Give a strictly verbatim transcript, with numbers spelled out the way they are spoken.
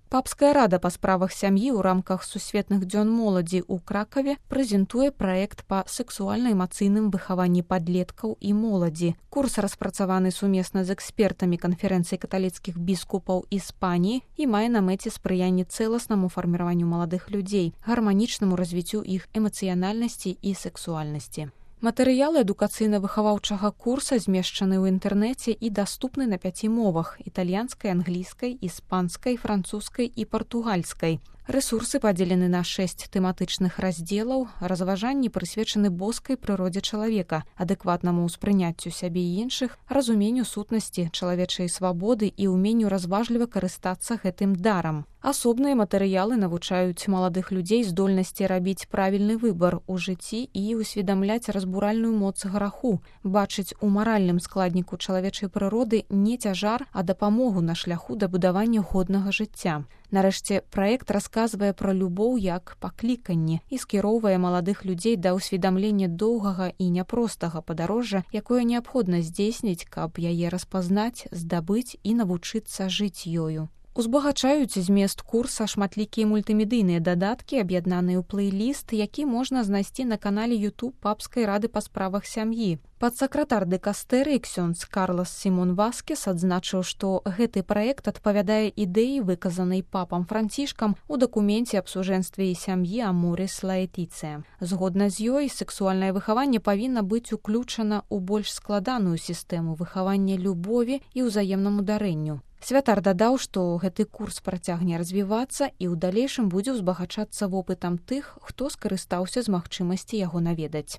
Папская рада па справах сям'і ў рамках сусветных дзён моладзі ў Кракаве прэзентуе праект па сэксуальна-эмацыйным выхаванні падлеткаў і моладзі. Курс распрацаваны сумесна з экспертамі канферэнцыі каталіцкіх біскупаў Іспаніі і мае на мэце спрыянне цэласнаму фарміраванню маладых людзей, гарманічнаму развіццю іх эмацыянальнасці і сэксуальнасці. Матэрыялы адукацыйна-выхаваўчага курса змешчаны ў інтэрнэце і даступны на пяці мовах: італьянскай, англійскай, іспанскай, французскай і партугальскай. Рэсурсы падзелены на шэсць тэматычных раздзелаў, разважанні прысвечаны боскай прыродзе чалавека, адэкватнаму ўспрыняццю сябе і іншых, разуменню сутнасці чалавечай свабоды і ўменню разважліва карыстацца гэтым дарам. Асобныя матэрыялы навучаюць маладых людзей здольнасці рабіць правільны выбар у жыцці і усведамляць разбуральную моц граху, бачыць у маральным складніку чалавечай прыроды не цяжар, а дапамогу на шляху да будавання годнага жыцця. Нарэшце, праект расказвае пра любоў як пакліканне і скіроўвае маладых людзей да ўсведамлення доўгага і няпростага падарожжа, якое неабходна здзейсніць, каб яе распазнаць, здабыць і навучыцца жыць ёю. Узбагачаюць змест курса шматлікія мультымедыйныя дадаткі, аб'яднаныя ў плейліст, які можна знайсці на канале YouTube Папскай рады па справах сям'і. Падсакратар дыкастэрыі ксёндз Карлас Сімон Васкес адзначыў, што гэты праект адпавядае ідэі, выказанай папам Францішкам у дакуменце аб сужэнстве і сям'і Аморис Лаэтыцыя. Згодна з ёй, сэксуальнае выхаванне павінна быць уключана ў больш складаную сістэму выхавання любові і ўзаемнаму дарэнню. Святар дадаў, што гэты курс працягне развівацца і ў далейшым будзе ўзбагачацца вопытам тых, хто скарыстаўся з магчымасці яго наведаць.